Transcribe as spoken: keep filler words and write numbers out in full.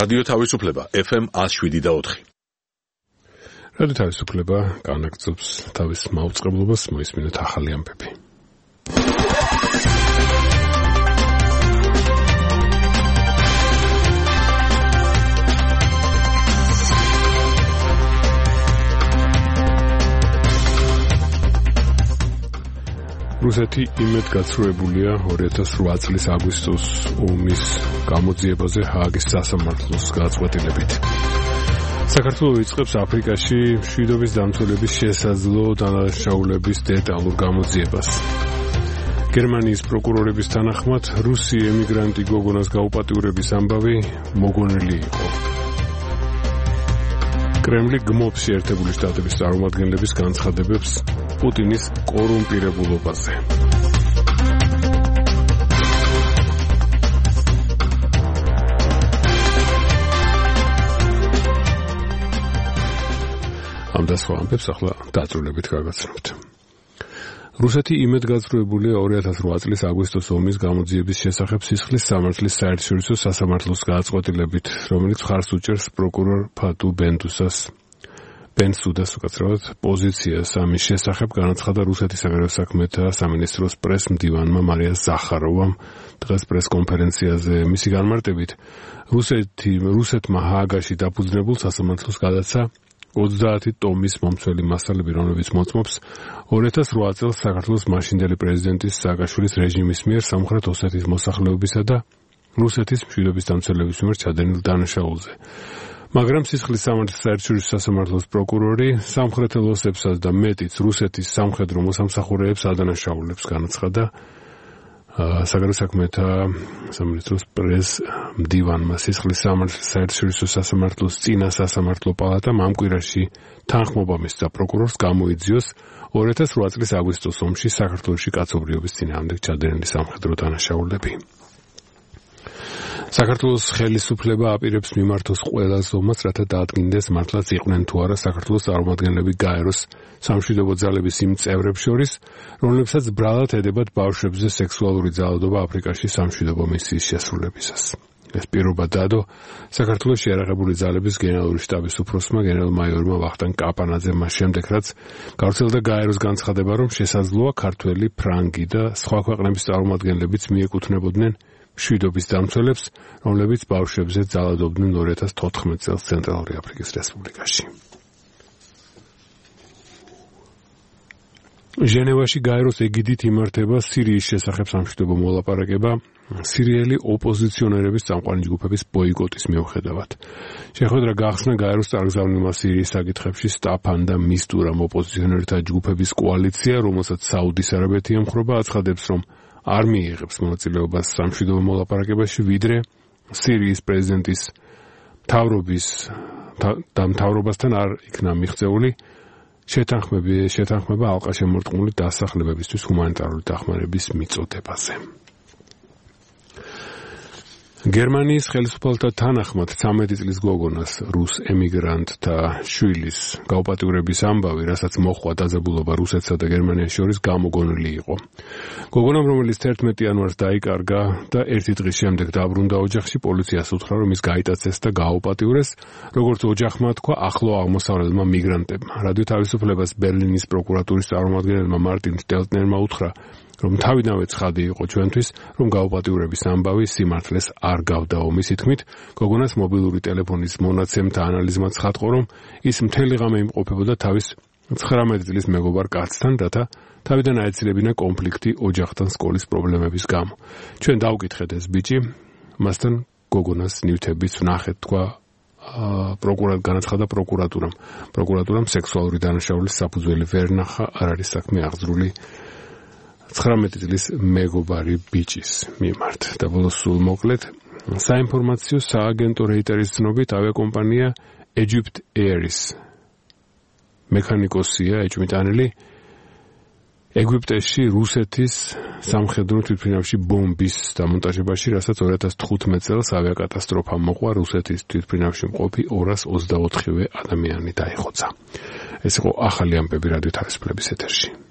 რადიო თავისუფლება ეფ ემ ათს შვიდი და ოთხი. რადიო თავისუფლება განაგრძობს თავის მაუწყებლობას, მოისმინეთ ახალი ამბები. რუსეთი იმედგაცრუებულია ორი ათას რვა წლის აგვისტოს ომის გამოძიებაზე ჰააგის სასამართლოს გაწყვეტილებით. საქართველო იწყებს აფრიკაში მშვიდობის დამცველების შესაძლო დანაშაულების დეტალურ გამოძიებას. გერმანიის პროკურორების თანახმად რუსი ემიგრანტი გოგონას გაუპატიურების ამბავი მოგონილი იყო. კრემლი გმობს შეერთებული შტატების წარმომადგენლების განცხადებებს პუტინის კორუმპირებულობაზე. ამ და სხვა ამბებს ახლა დაწვრილებით გავაცნობთ. რუსეთი იმედგაცრუებულია ორი ათას რვა წლის აგვისტოს ომის გამოძიების შესახებ სისხლის სამართლის საერთაშორისო სასამართლოს გაწყვეტილებით, რომელიც მხარს უჭერს პროკურორ ფატუ ბენდუსას ბენსუდას უკაცრავად პოზიციას ამის შესახებ განაცხადა რუსეთის საგარეო საქმეთა სამინისტროს პრეს-მდივანმა მარია ზახაროვამ დღეს პრეს-კონფერენციაზე. მისი განმარტებით, რუსეთი რუსეთმა ჰააგაში დაფუძნებულ სასამართლოს გადაცა ოცდაათი ტომის მომცველი მასალები, რომლებიც მოწმობს ორი ათას რვა წელს საქართველოს მაშინდელი პრეზიდენტის სააკაშვილის რეჟიმის მიერ სამხრეთ ოსეთის მოსახლეობისა და რუსეთის მშვიდობის დამცველების მიერ ჩადენილ დანაშაულზე. მაგრამ სისხლის სამართლის საერთაშორისო სასამართლოს პროკურორი სამხრეთელ ოსებსაც და მეტიც რუსეთის სამხედრო მოსამსახურეებს ადანაშაულებს განაცხადა. საგარეო საქმეთა სამინისტროს პრეს-მდივანმა სისხლის სამართლის საერთაშორისო სასამართლოს წინა სასამართლო პალატამ ამ კვირაში თანხმობა მისცა პროკურორს გამოიძიოს ორი ათას რვა წლის აგვისტოს ომში საქართველოში კაცობრიობის წინააღმდეგ ჩადენილი სამხედრო დანაშაულები. საქართველოს ხელისუფლება აპირებს მიმართოს ყველა ზომას, რათა დაადგინდეს მართლაც იყვნენ თუ არა საქართველოს წარმომადგენლები გაეროს სამშვიდობო ძალების იმ წევრებს შორის, რომლებსაც ბრალად ედებათ ბავშვებზე სექსუალური ძალადობა აფრიკაში სამშვიდობო მისიის შესრულებისას. ეს პირობა დადო საქართველოს შეიარაღებული ძალების გენერალური შტაბის უფროსმა გენერალ-მაიორმა ვახტანგ კაპანაძემ მას შემდეგ, რაც გავრცელდა გაეროს განცხადება, რომ შესაძლოა ქართველი, ფრანგი და სხვა ქვეყნების წარმომადგენლებიც მიეკუთვნებოდნენ მშვიდობის დამცველებს, რომლებიც ბავშვებზე ძალადობდნენ ორი ათას თოთხმეტ წელს ცენტრალური აფრიკის რესპუბლიკაში. ჟენევაში გაეროს ეგიდით იმართება სირიის შესახებ სამშვიდობო მოლაპარაკება სირიელი ოპოზიციონერების წამყვანი ჯგუფების ბოიკოტის მიუხედავად. შეხვედრა გახსნა გაეროს წარგზავნილმა სირიის საკითხებში სტაფან და მისტურამ ოპოზიციონერთა ჯგუფების კოალიცია, რომელსაც საუდის არაბეთი ემხრობა, აცხადებს, რომ არ მიიღებს მონაწილეობას სამშვიდობო მოლაპარაკებაში, ვიდრე სირიის პრეზიდენტის მთავრობის და მთავრობასთან არ იქნა მიღწეული შეთანხმება შეთანხმება ალყაშემორტყმული დასახლებებისთვის ჰუმანიტარული დახმარების მიწოდებაზე. გერმანიის ხელისუფალთა თანახმად ცამეტი წლის გოგონას რუს ემიგრანტთა შვილის გაუპატიურების ამბავი, რასაც მოჰყვა დაძაბულობა რუსეთსა და გერმანიის შორის, გამოგონილი იყო. გოგონამ, რომელიც თერთმეტი იანვარს დაიკარგა და ერთი დღის შემდეგ დაბრუნდა ოჯახში, პოლიციას უთხრა, რომ ის გაიტაცეს და გააუპატიურეს, როგორც ოჯახმა თქვა ახლო აღმოსავლელმა მიგრანტებმა. რადიო თავისუფლებას ბერლინის პროკურატურის წარმომადგენელმა მარტინ შტელტნერმა უთხრა, რომ თავიდანვე ცხადი იყო ჩვენთვის, რომ გაუპატიურების ამბავი სიმართლეს არ გავდაო. მისი თქმით, გოგონას მობილური ტელეფონის მონაცემთა ანალიზმა ცხადყო, რომ ის მთელი ღამე იმყოფებოდა თავის ცხრამეტი წლის მეგობარ კაცთან, რათა თავიდან აეცილებინა კონფლიქტი ოჯახთან სკოლის პრობლემების გამო. ჩვენ დავკითხეთ ეს ბიჭი, მასთან გოგონას ნივთებიც ვნახეთ, თქვა პროკურატ განაცხადა პროკურატურამ. პროკურატურამ სექსუალური დანაშაულის საფუძველი ვერ ნახა, არ არის საქმე აღძრული ცხრამეტი წლის მეგობარი ბიჭის მიმართ. და ბოლოს სულ მოკლედ, საინფორმაციო სააგენტო რეიტერის ცნობით, ავიაკომპანია Egypt Air-ის მექანიკოსია ეჭვმიტანილი ეგვიპტეში რუსეთის სამხედრო თვითმფრინავში ბომბის დამონტაჟებაში, რასაც ორი ათას თხუთმეტ წელს ავიაკატასტროფა მოყვა, რუსეთის თვითმფრინავში მყოფი ორას ოცდაოთხივე ადამიანი დაიხოცა. ეს იყო ახალი ამბები რადიო თავისუფლების ეთერში.